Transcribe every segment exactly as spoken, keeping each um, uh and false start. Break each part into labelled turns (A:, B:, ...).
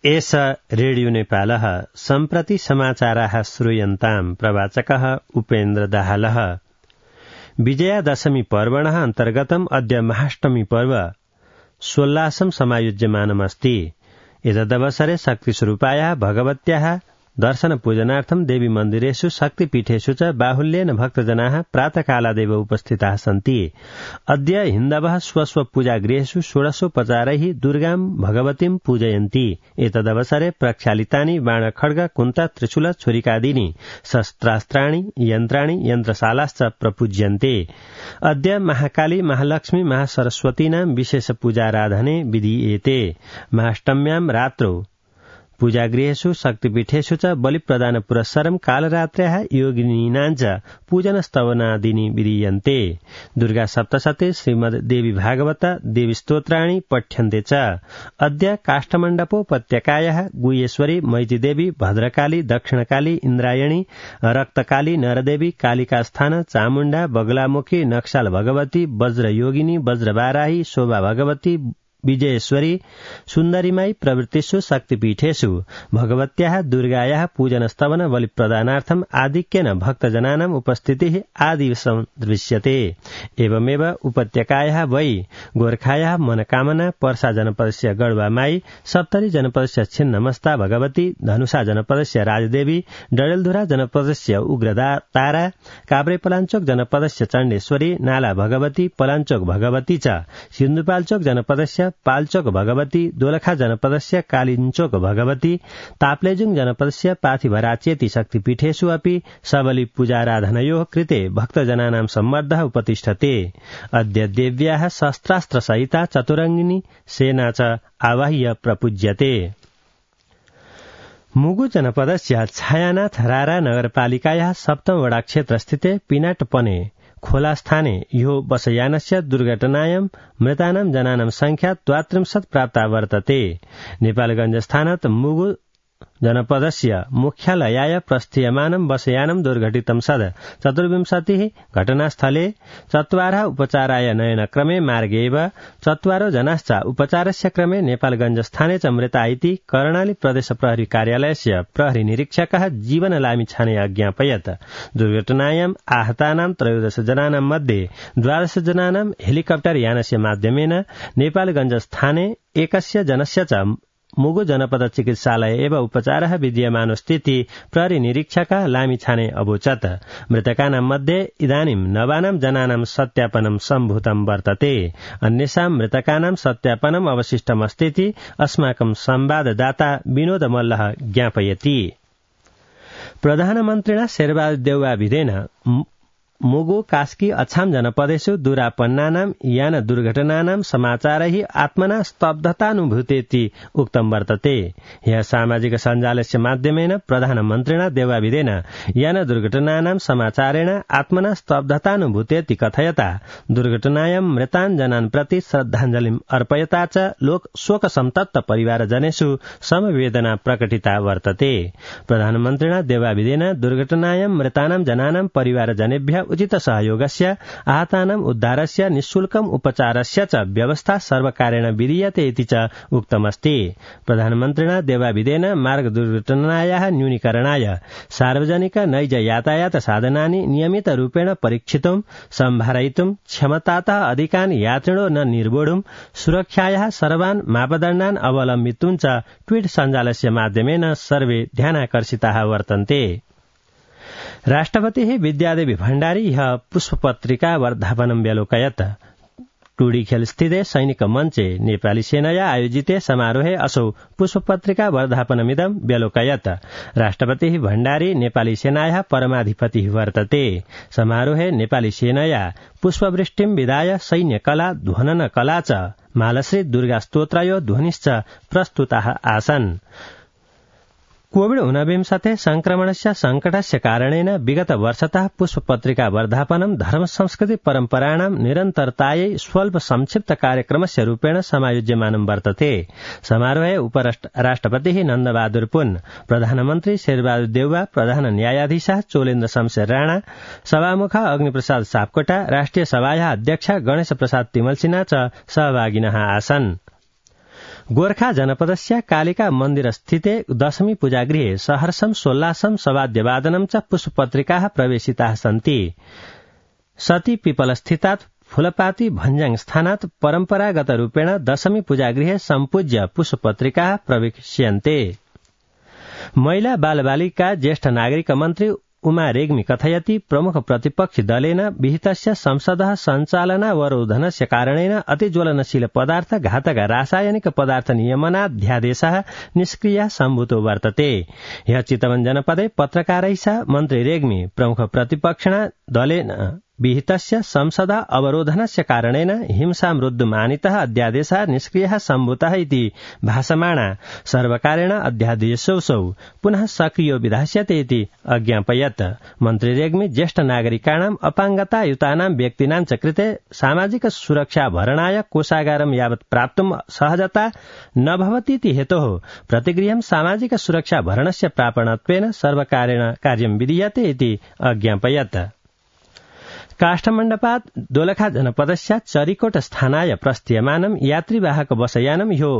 A: एष रेडियो नेपालः सम्प्रति समाचाराः श्रूयन्ताम् प्रवाचकः उपेन्द्र दाहालः। विजयादशमी पर्वणः अन्तर्गतम् अद्य महाष्टमी पर्व सोल्लासं समायोज्यमानमस्ति। एतदवसरे शक्तिस्वरूपायाः भगवत्याः दर्शन पूजनार्थं देवी मन्दिरेषु शक्तिपीठेषु च बाहुल्येन भक्तजनाः प्रातःकालादेव उपस्थिताः सन्ति। अद्य हिन्दवः स्वस्व पूजागृहेषु षोडशोपचारैः दुर्गां भगवतीं पूजयन्ति। एतदवसरे प्रक्षालितानि बाणखड्ग कुन्ता त्रिशूल छुरिकादीनि शस्त्रास्त्राणि यन्त्राणि यन्त्रशालाश्च प्रपूज्यन्ते। अद्य महाकाली महालक्ष्मी महासरस्वतीनां विशेष पूजाराधने विधीयते। महाष्टम्यां रात्रौ पूजागृहेषु शक्तिपीठेषु च बलिप्रदान पुरस्सरं कालरात्र्याः योगिनीनाञ्च पूजन स्तवनादीनि विधीयन्ते। दुर्गा सप्तशती श्रीमद् देवी भागवत देवी स्तोत्राणि पठ्यन्ते च। अद्य काष्ठमण्डपोपत्यकायाः गुह्येश्वरी मैतीदेवी भद्रकाली दक्षिणकाली इन्द्रायणी रक्तकाली नरदेवी कालिकास्थान चामुण्डा बगलामुखी नक्साल भगवती वज्रयोगिनी वज्रबाराही शोभा भगवती विजयेश्वरी सुन्दरीमाई प्रवृत्तिषु शक्तिपीठेषु भगवत्याः दुर्गायाः पूजन स्तवन बलिप्रदानार्थम् आधिक्येन भक्तजनानाम् उपस्थितिः आदि दृश्यते। एवमेव उपत्यकायाः वै गोर्खायाः मनकामना पर्सा जनपदस्य गढवामाई सप्तरी जनपदस्य छिन्नमस्ता भगवती धनुषा जनपदस्य राजदेवी डडेलधुरा जनपदस्य उग्रतारा काभ्रेपलाञ्चोक जनपदस्य चण्डेश्वरी नाला भगवती पलाञ्चोक भगवती च सिन्धुपाल्चोक जनपदस्य पाल्चोक भगवती दोलखा जनपदस्य कालिञ्चोक भगवती ताप्लेजुङ जनपदस्य पाथिभराचेति शक्तिपीठेषु अपि सबली पूजाराधनयोः कृते भक्तजनानां सम्मर्दः उपतिष्ठते। अद्य देव्याः शस्त्रास्त्रसहिता चतुरङ्गिनी सेना च आवाह्य प्रपूज्यते। मुगु जनपदस्य छायानाथ रारा नगरपालिकायाः सप्तम वडा क्षेत्रस्थिते पिनाटपने खोलास्थाने यो बसयानस्य दुर्घटनायां मृतानां जनानां संख्या द्वात्रिंशत् प्राप्ता वर्तते। नेपालगञ्जस्थानात् मुगु जनपदस्य मुख्यालयाय प्रस्थीयमानं बसयानं दुर्घटितं सद चतुर्विंशतिः घटनास्थले चत्वारः उपचाराय नयनक्रमे मार्गे एव चत्वारो जनाश्च उपचारस्य क्रमे नेपालगञ्जस्थाने च मृता इति कर्णाली प्रदेश प्रहरी कार्यालयस्य प्रहरी निरीक्षकः जीवन लामिछाने अज्ञापयत्। दुर्घटनायाम् आहतानां त्रयोदश जनानां मध्ये द्वादश जनानां हेलिकप्टर यानस्य माध्यमेन नेपालगञ्जस्थाने एकस्य जनस्य च मुगु जनपद चिकित्सालय एव उपचारः विद्यमानोस्थिति प्रहरी निरीक्षकः लामिछाने अवोचत्। मृतकानां मध्ये इदानीं नवानां जनानां सत्यापनं सम्भूतं वर्तते। अन्येषां मृतकानां सत्यापनम् अवशिष्टमस्तीति अस्माकं संवाददाता विनोद मल्लः ज्ञापयति। प्रधानमन्त्रिणा शेरबहादुर देउवाभिधेन मुगु कास्की अछाम जनपदेषु दुरापन्नानां यान दुर्घटनानां समाचारैः आत्मना स्तब्धतानुभूतेति उक्तं वर्तते। ह्यः सामाजिक सञ्जालस्य माध्यमेन प्रधानमन्त्रिणा देउवाभिधेन यान दुर्घटनानां समाचारेण आत्मना स्तब्धतानुभूतेति कथयता दुर्घटनायां मृतान् जनान् प्रति श्रद्धाञ्जलिम् अर्पयता च लोक शोकसन्तप्त परिवारजनेषु समवेदना प्रकटिता वर्तते। प्रधानमन्त्रिणा देउवाभिधेन दुर्घटनायां मृतानां जनानां परिवारजनेभ्यः उचित सहयोगस्य आहतानाम् उद्धारस्य निःशुल्कम् उपचारस्य च व्यवस्था सर्वकारेण विधीयते इति च उक्तमस्ति। प्रधानमन्त्रिणा देउवाभिधेन मार्ग दुर्घटनायाः न्यूनीकरणाय सार्वजनिक नैज यातायात साधनानि नियमितरूपेण परीक्षितुं सम्भारयितुं क्षमतातः अधिकान् यात्रिणो न निर्वोढुं सुरक्षायाः सर्वान् मापदण्डान् अवलम्बितुं च ट्वीट सञ्जालस्य माध्यमेन सर्वे ध्यानाकर्षिताः वर्तन्ते। राष्ट्रपतिः विद्यादेवी भण्डारी ह्यः पुष्पपत्रिका वर्धापनं व्यलोकयत्। टुडीखेल स्थिते सैनिक मञ्चे नेपाली सेनया आयोजिते समारोहे असौ पुष्पपत्रिका वर्धापनमिदं व्यलोकयत्। राष्ट्रपतिः भण्डारी नेपाली सेनायाः परमाधिपतिः वर्तते। समारोहे नेपाली सेनया पुष्पवृष्टिं विधाय सैन्यकला ध्वननकला च मालश्री दुर्गा स्तोत्रयो ध्वनिश्च प्रस्तुताः आसन्। कोविड ऊनविंशति संक्रमणस्य संकटस्य कारणेन विगत वर्षतः पुष्पपत्रिका वर्धापनं धर्म संस्कृति परम्पराणां निरन्तरतायै स्वल्प संक्षिप्त कार्यक्रमस्य रूपेण समायोज्यमानं वर्तते। समारोहे उपराष्ट्रपतिः नन्दबहादुर पुन, प्रधानमन्त्री शेरबहादुर देउवा, प्रधान न्यायाधीशः चोलेन्द्र शमशेर राणा, सभामुख अग्निप्रसाद सापकोटा, राष्ट्रिय सभायाः अध्यक्ष गणेश प्रसाद तिमल सिन्हा च सहभागिनः आसन्। गोर्खा जनपदस्य कालिका मन्दिरस्थिते दशमी पूजागृहे सहर्षं सोल्लासं सवाद्यवादनं च पुष्पपत्रिकाः प्रवेशिताः सन्ति। सती पिपलस्थितात् फूलपाती भञ्जाङ स्थानात् परम्परागतरूपेण दशमी पूजागृहे सम्पूज्य पुष्पपत्रिकाः प्रवेश्यन्ते। महिला बालबालिका ज्येष्ठ नागरिक मन्त्री उमा रेग्मी कथयति प्रमुख प्रतिपक्षी दलेन विहितस्य संसदः सञ्चालनावरोधनस्य कारणेन अतिज्वलनशील पदार्थ घातक रासायनिक पदार्थ नियमनाध्यादेशः निष्क्रियः सम्भूतो वर्तते। ह्यः चितवन जनपदे पत्रकारैः सह मन्त्री रेग्मी प्रमुख प्रतिपक्षिणा दलेन विहितस्य संसद अवरोधनस्य कारणेन हिंसामृद्धुमानितः अध्यादेशः निष्क्रियः सम्भूतः इति भाषमाणा सर्वकारेण अध्यादेशोऽसौ पुनः सक्रियो विधास्यते इति अज्ञापयत्। मन्त्री रेग्मी ज्येष्ठ नागरिकाणाम् अपाङ्गतायुतानां व्यक्तीनां च कृते सामाजिक सुरक्षा भरणाय कोषागारं यावत् प्राप्तुं सहजता न भवतीति हेतोः प्रतिगृहं सामाजिक सुरक्षा भरणस्य प्रापणत्वेन सर्वकारेण कार्यं विधीयते इति अज्ञापयत्। काष्ठमण्डपात् दोलखा जनपदस्य चरिकोट स्थानाय प्रस्थीयमानं यात्रीवाहक बसयानं ह्यो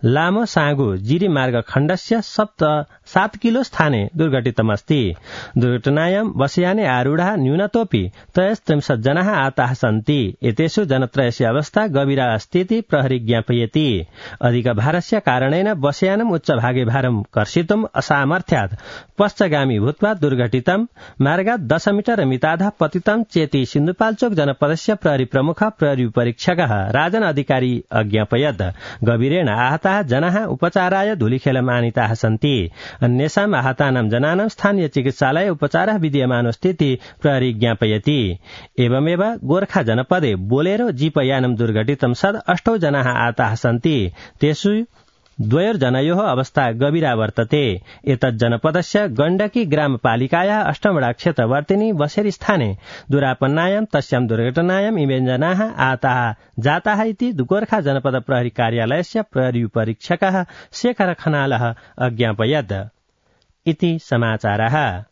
A: लामो साँगु जिरी मार्ग खण्डस्य सप्त सात किलो स्थाने दुर्घटितमस्ति। दुर्घटनायां बसयाने आरूढा न्यूनतोऽपि त्रयस्त्रिंशत् जनाः आताः सन्ति। एतेषु जनत्रयस्य अवस्था गभीरा अस्ति इति प्रहरी ज्ञापयति। अधिक भारस्य कारणेन बसयानम् उच्चभागे भारं कर्षितुम् असामर्थ्यात् पश्चगामी भूत्वा दुर्घटितं। मार्गात् दश मीटर मिताधः पतितं चेति सिन्धुपाल्चोक जनपदस्य प्रहरी प्रमुख प्रहरी परीक्षकः राजन अधिकारी अज्ञापयत्। गभीरेण आहताः जनाः उपचाराय धुलिखेलमानिताः सन्ति। अन्येषाम् आहतानां जनानां स्थानीय चिकित्सालये उपचारः विद्यमानोऽस्ति इति प्रहरी ज्ञापयति। एवमेव गोर्खा जनपदे बोलेरो जीपयानं दुर्घटितं सद् अष्टौ जनाः आताः सन्ति। तेषु द्वयोर्जनयोः अवस्था गभीरा वर्तते। एतत् जनपदस्य गण्डकी ग्रामपालिकायाः अष्टमडा क्षेत्रवर्तिनी बसेरी स्थाने दुरापन्नायां तस्यां दुर्घटनायाम् इमे जनाः आताः जाताः इति गोर्खा जनपद प्रहरी कार्यालयस्य प्रहरी परीक्षकः शेखर खनालः अज्ञापयत्। इति समाचारः।